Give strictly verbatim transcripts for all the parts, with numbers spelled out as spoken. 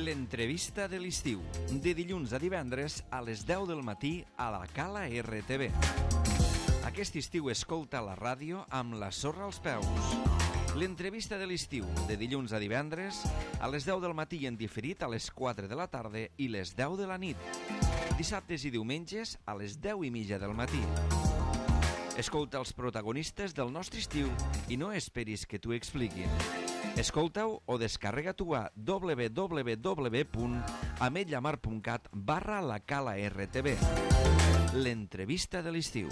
L'entrevista de l'estiu, de dilluns a divendres a les deu del matí a la Cala R T V. Aquest estiu escolta la ràdio amb la sorra als peus. L'entrevista de l'estiu, de dilluns a divendres a les deu del matí i en diferit a les quatre de la tarda i les deu de la nit. Dissabtes i diumenges a les deu i mitja del matí. Escolta els protagonistes del nostre estiu i no esperis que t'ho expliquin. Escolta-ho o descarrega-t'ho a w w w punt ametlla mar punt cat barra la Cala R T V. L'entrevista de l'estiu.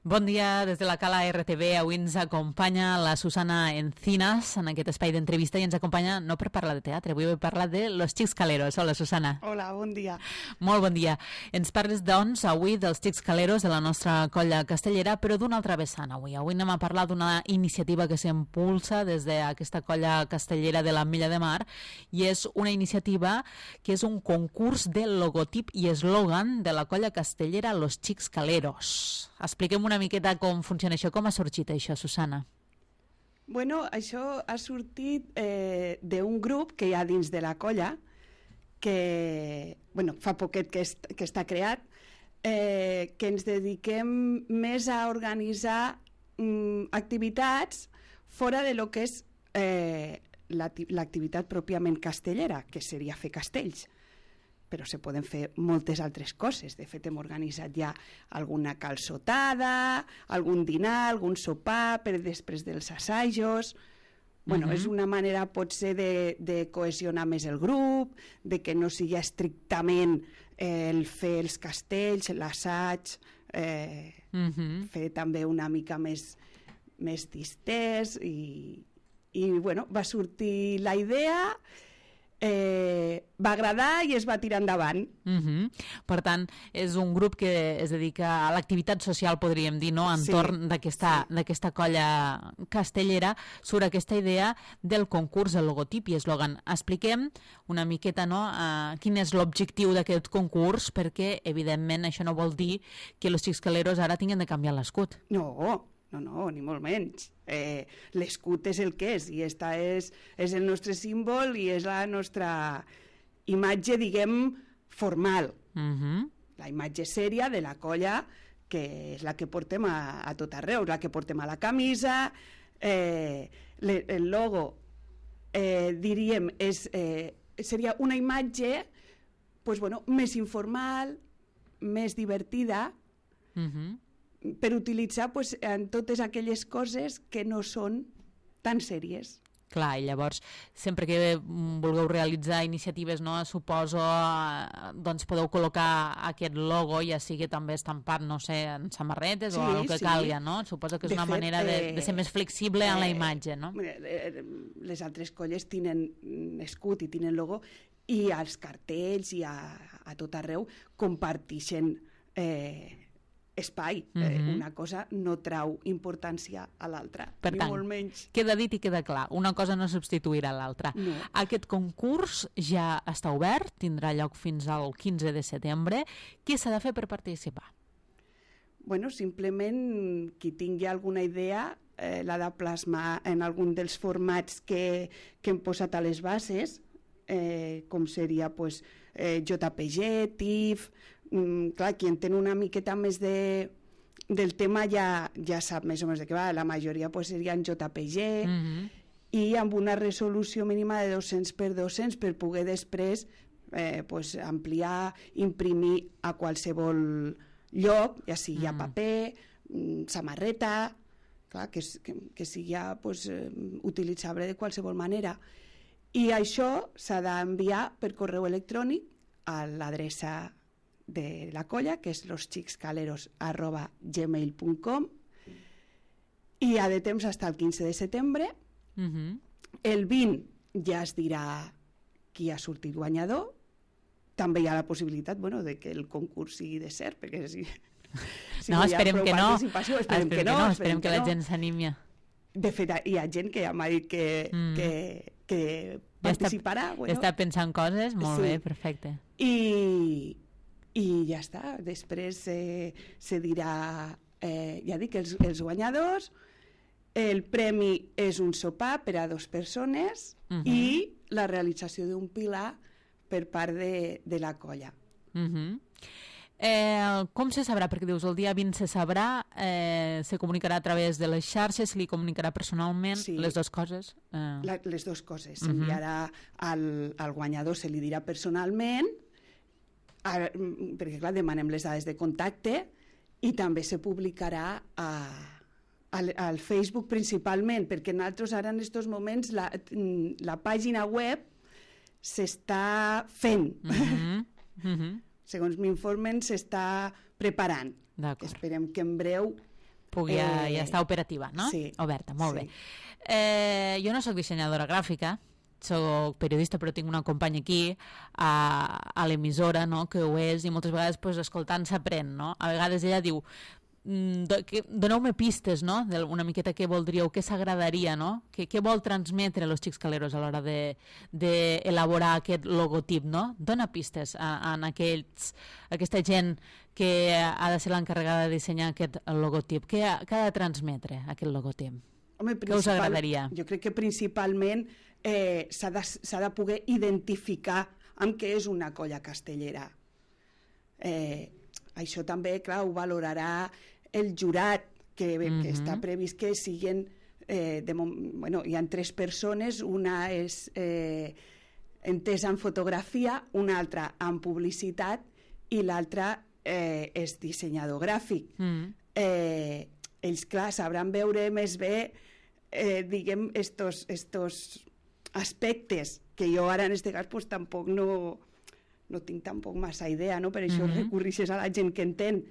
Bon dia des de la Cala R T V. Avui ens acompanya la Susana Encinas en aquest espai d'entrevista i ens acompanya no per parlar de teatre, avui per parlar de Los Xics Caleros. Hola, Susana. Hola, bon dia. Molt bon dia. Ens parles, doncs, avui dels Xics Caleros de la nostra colla castellera, però d'una altra vessant avui. Avui anem a parlar d'una iniciativa que s'impulsa des d'aquesta colla castellera de l'Ametlla de Mar i és una iniciativa que és un concurs de logotip i eslògan de la colla castellera Los Xics Caleros. Expliquem una miqueta com funciona això, com ha sorgit això, Susana? Bueno, això ha sortit eh, d'un grup que hi ha dins de la colla, que bueno, fa poquet que, est que està creat, eh, que ens dediquem més a organitzar mm, activitats fora de lo que és eh, l'activitat pròpiament castellera, que seria fer castells. Però se poden fer moltes altres coses. De fet, hem organitzat ja alguna calçotada, algun dinar, algun sopar per després dels assajos. Bueno, uh-huh. És una manera, potser, de, de cohesionar més el grup, de que no sigui estrictament eh, el fer els castells, l'assaig, eh, uh-huh. fer també una mica més, més distès i, i, bueno, va sortir la idea. Eh, va agradar i es va tirar endavant. Uh-huh. Per tant, és un grup que es dedica a l'activitat social, podríem dir, no? Entorn sí, d'aquesta sí. d'aquesta colla castellera surt aquesta idea del concurs de logotip i eslògan. Expliquem una miqueta, no?, uh, quin és l'objectiu d'aquest concurs, perquè, evidentment, això no vol dir que los Xics Caleros ara tinguin de canviar l'escut. No, no, no, ni molt menys. Eh, l'escut és el que és i esta és, és el nostre símbol i és la nostra imatge, diguem, formal. Uh-huh. La imatge sèria de la colla, que és la que portem a, a tot arreu, la que portem a la camisa. Eh, le, el logo, eh, diríem, és, eh, seria una imatge pues, bueno, més informal, més divertida, uh-huh. per utilitzar pues, en totes aquelles coses que no són tan sèries. Clar, i llavors, sempre que vulgueu realitzar iniciatives, no, suposo, doncs podeu col·locar aquest logo, ja sigui també estampat, no sé, en samarretes sí, o el que sí. calgui, no? Suposo que és de una fet, manera de, de ser més flexible eh, en la imatge, no? Les altres colles tenen escut i tenen logo i als cartells i a, a tot arreu comparteixen eh, espai. Uh-huh. eh, una cosa no trau importància a l'altra. Per tant, molt menys. Queda dit i queda clar, una cosa no substituirà l'altra. No. Aquest concurs ja està obert, tindrà lloc fins al quinze de setembre. Què s'ha de fer per participar? Bueno, simplement qui tingui alguna idea eh, l'ha de plasmar en algun dels formats que, que hem posat a les bases, eh, com seria pues, eh, J P G, T I F. Mm, clar, qui entén una miqueta més de, del tema ja, ja sap més o menys de què va. La majoria pues, serien J P G uh-huh. i amb una resolució mínima de dos-cents per dos-cents per poder després eh, pues, ampliar, imprimir a qualsevol lloc, ja sigui uh-huh. a paper, mm, samarreta, clar, que, que, que sigui pues, eh, utilitzable de qualsevol manera. I això s'ha d'enviar per correu electrònic a l'adreça de la colla, que és losxicscaleros arroba gmail punt com, i ha de temps fins al quinze de setembre. Uh-huh. El vint ja es dirà qui ha sortit guanyador. També hi ha la possibilitat, bueno, de que el concurs sigui de cert, perquè si, si no, no esperem que no. Esperem, esperem que no, no, esperem, esperem que, que la gent s'animi. De fet, hi ha gent que ja m'ha dit que, mm. que, que participarà. Ja està, bueno. està pensant coses, molt sí. bé, perfecte. I i ja està. Després eh, se dirà, eh, ja dic, els, els guanyadors, el premi és un sopar per a dues persones uh-huh. i la realització d'un pilar per part de, de la colla. Uh-huh. Eh, com se sabrà? Perquè dius, el dia vint se sabrà, eh, se comunicarà a través de les xarxes, se li comunicarà personalment, sí. les dues coses? Eh... La, les dues coses. S'enviarà uh-huh. al, al guanyador, se li dirà personalment, a, perquè clar, demanem les dades de contacte, i també se publicarà a, al, al Facebook principalment, perquè nosaltres ara en aquests moments la, la pàgina web s'està fent. Uh-huh. Uh-huh. Segons m'informen, s'està preparant. Esperem que en breu... Pugui eh... ja, ja estar operativa, no? Sí. Oberta, molt sí. bé. Eh, jo no sóc dissenyadora gràfica, sóc periodista, però tinc una companya aquí a, a l'emissora, no?, que ho és, i moltes vegades pues, escoltant s'aprèn, no? A vegades ella diu, doneu-me pistes, no?, una miqueta què voldríeu, què s'agradaria, no?, què, què vol transmetre los Xics Caleros a l'hora d'elaborar de, de aquest logotip, no? Dona pistes a, a aquells, a aquesta gent que ha de ser l'encarregada de dissenyar aquest logotip. Què ha, què ha de transmetre aquest logotip? Home, què us agradaria? Jo crec que principalment eh, s'ha de, s'ha de poder identificar amb què és una colla castellera. Eh, això també, clar, ho valorarà el jurat, que, mm-hmm. que està previst que siguin, eh, de, bueno, hi ha tres persones, una és eh, entesa en fotografia, una altra en publicitat i l'altra eh, és dissenyador gràfic. Mm. Eh, ells, clar, sabran veure més bé, eh, diguem, estos, estos aspectes que jo ara en este cas pues, tampoc no, no tinc tampoc massa idea, no? Per això mm-hmm. recurrixes a la gent que entén.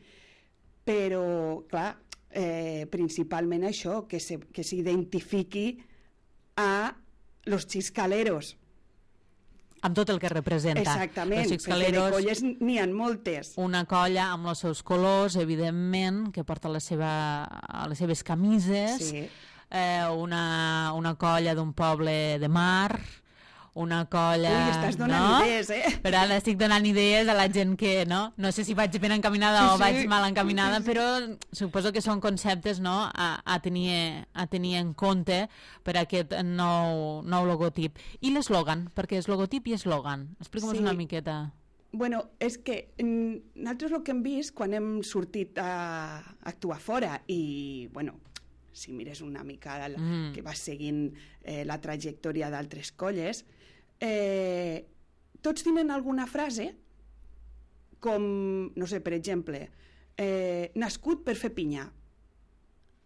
Però, clar, eh, principalment això, que, se, que s'identifiqui a los Xics Caleros. Amb tot el que representa. Exactament, perquè Caleros, de colles n'hi ha moltes. Una colla amb els seus colors, evidentment, que porta la seva, les seves camises, sí. eh, una, una colla d'un poble de mar, una colla... Ui, estàs donant no? idees, eh? Però ara estic donant idees a la gent que, no? No sé si vaig ben encaminada sí, o vaig sí. mal encaminada, però suposo que són conceptes, no?, a, a, tenir, a tenir en compte per a aquest nou, nou logotip. I l'eslògan, perquè és logotip i eslògan. Explica'm sí. una miqueta. Bueno, és que nosaltres el que hem vist quan hem sortit a actuar fora i, bueno, si mires una mica la, mm. que vas seguint eh, la trajectòria d'altres colles, eh, tots tenen alguna frase com, no sé, per exemple, eh, nascut per fer pinya.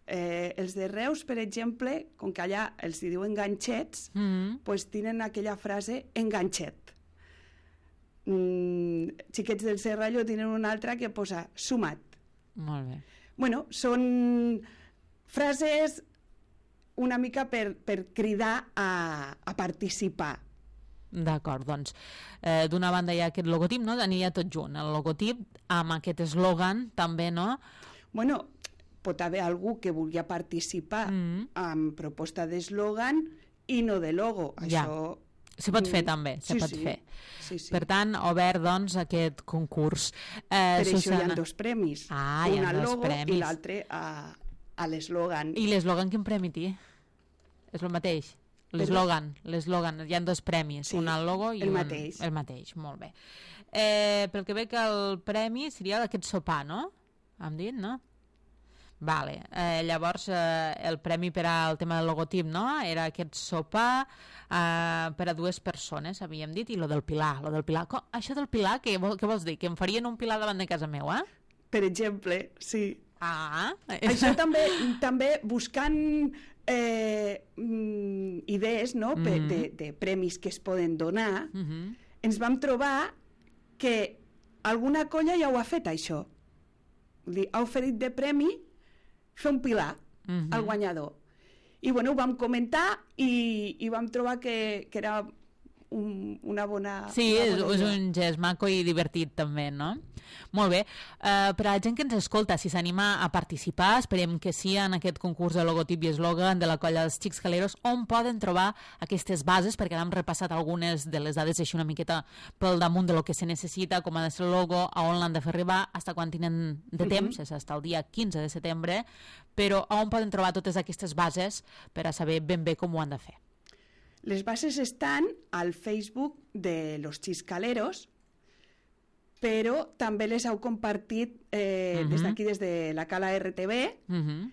Eh, els de Reus, per exemple, com que allà els hi diuen ganxets, mm. pues tenen aquella frase enganxet. Mm, xiquets del Serrallo tenen una altra que posa sumat. Molt bé. Bueno, són frases una mica per, per cridar a, a participar. D'acord, doncs eh, d'una banda hi ha aquest logotip, no? Aniria tot junt, el logotip amb aquest eslògan també, no? Bueno, pot haver algú que vulgui participar mm. amb proposta d'eslògan i no de logo. Ja. Això... Se pot fer també, se sí, pot sí. fer. Sí, sí. Per tant, obert, doncs, aquest concurs. Eh, per Susana... això hi ha dos premis. Ah, un hi ha al dos logo premis. I l'altre a, a l'eslògan. I l'eslògan quin premi té? És el mateix? L'eslògan, l'eslògan, hi ha dos premis, sí, un al logo i el un... mateix. El mateix, molt bé. Eh, pel que veig que el premi seria aquest sopar, no? Hem dit, no? Vale. Eh, llavors, eh, el premi per al tema del logotip, no? Era aquest sopar eh, per a dues persones, havíem dit, i lo del pilar. Lo del pilar. Com, això del pilar, què, vol, què vols dir? Que em farien un pilar davant de casa meva? Per exemple, sí. Ah. Això també, també buscant eh, idees, no?, mm-hmm. de, de premis que es poden donar, mm-hmm. ens vam trobar que alguna colla ja ho ha fet, això. Vull dir, ha oferit de premi fer un pilar mm-hmm. al guanyador. I, bueno, ho vam comentar i, i vam trobar que, que era un, una bona... Sí, una és, bona és idea. un gest maco i divertit també, no? Molt bé. Uh, per a la gent que ens escolta, si s'anima a participar, esperem que sí en aquest concurs de logotip i eslògan de la colla dels Xics Caleros, on poden trobar aquestes bases, perquè hem repassat algunes de les dades així una miqueta pel damunt de lo que se necessita, com ha de ser el logo, a on l'han de fer arribar, fins quan tenen de temps, és fins el dia quinze de setembre, però on poden trobar totes aquestes bases per a saber ben bé com ho han de fer. Les bases estan al Facebook de los Xiscaleros, però també les heu compartit eh, Uh-huh. des d'aquí, des de la Cala R T V, Uh-huh.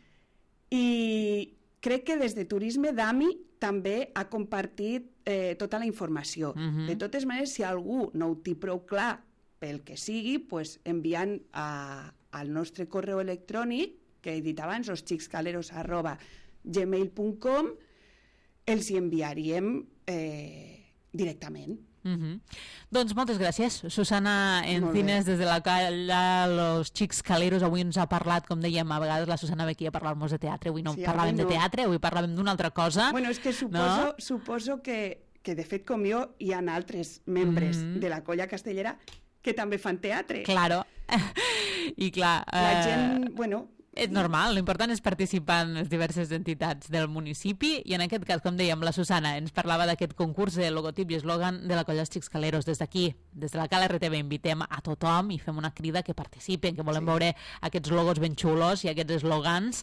i crec que des de Turisme Dami també ha compartit eh, tota la informació. Uh-huh. De totes maneres, si algú no ho té prou clar pel que sigui, pues, enviant a, al nostre correu electrònic, que he dit abans, losxiscaleros arroba gmail punt com, els hi enviaríem eh, directament. Uh-huh. Doncs moltes gràcies, Susana Molt Encines, bé. des de la calla Los Xics Caleros. Avui ens ha parlat, com dèiem, a vegades la Susana ve aquí a parlar-nos de teatre. Avui no Sí, parlàvem avui no. de teatre, avui parlàvem d'una altra cosa. Bueno, és que suposo, No? suposo que, que, de fet, com jo, hi ha altres membres Mhm. de la colla castellera que també fan teatre. Claro. I clar... La eh, gent, bueno... És normal, l'important és participar en les diverses entitats del municipi i en aquest cas, com dèiem, la Susana ens parlava d'aquest concurs de logotip i eslògan de la colla dels Xics Caleros. Des d'aquí, des de la Cala R T V, invitem a tothom i fem una crida que participen, que volem Sí. veure aquests logos ben xulos i aquests eslògans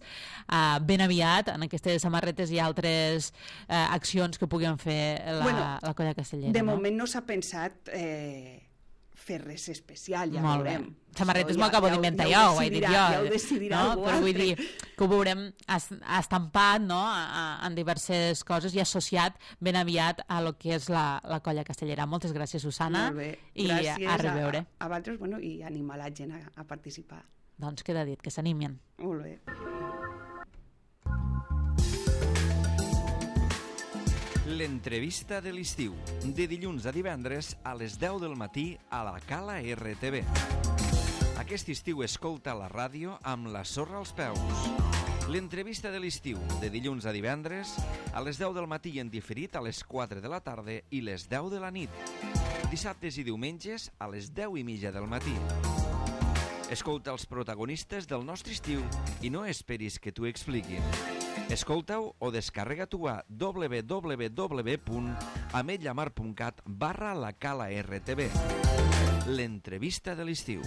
uh, ben aviat en aquestes samarretes i altres uh, accions que puguin fer la, Bueno, la colla castellera. De no? moment no s'ha pensat eh, fer res especial, ja Molt bé. veurem. Samarretes Això m'ho ja- acabo ja ho- d'inventar ja jo, ho ho he dit decidirà- jo. Ja ho decidirà no? algú Però vull altre. dir que ho veurem es- estampat, no? a, a, en diverses coses i associat ben aviat a lo que és la, la colla castellera. Moltes gràcies, Susana. Molt bé. I Gràcies a reveure. A, a vosaltres, bueno, i animar la gent a, a participar. Doncs queda dit, que s'animin. Molt bé. L'entrevista de l'estiu, de dilluns a divendres a les deu del matí a la Cala R T V. Aquest estiu escolta la ràdio amb la sorra als peus. L'entrevista de l'estiu, de dilluns a divendres a les deu del matí i en diferit a les quatre de la tarda i les deu de la nit. Dissabtes i diumenges a les deu i mitja del matí. Escolta els protagonistes del nostre estiu i no esperis que t'ho expliquin. Escolta-ho o descarrega-t'ho a w w w punt ametlla mar punt cat barra la Cala R T V. L'entrevista de l'estiu.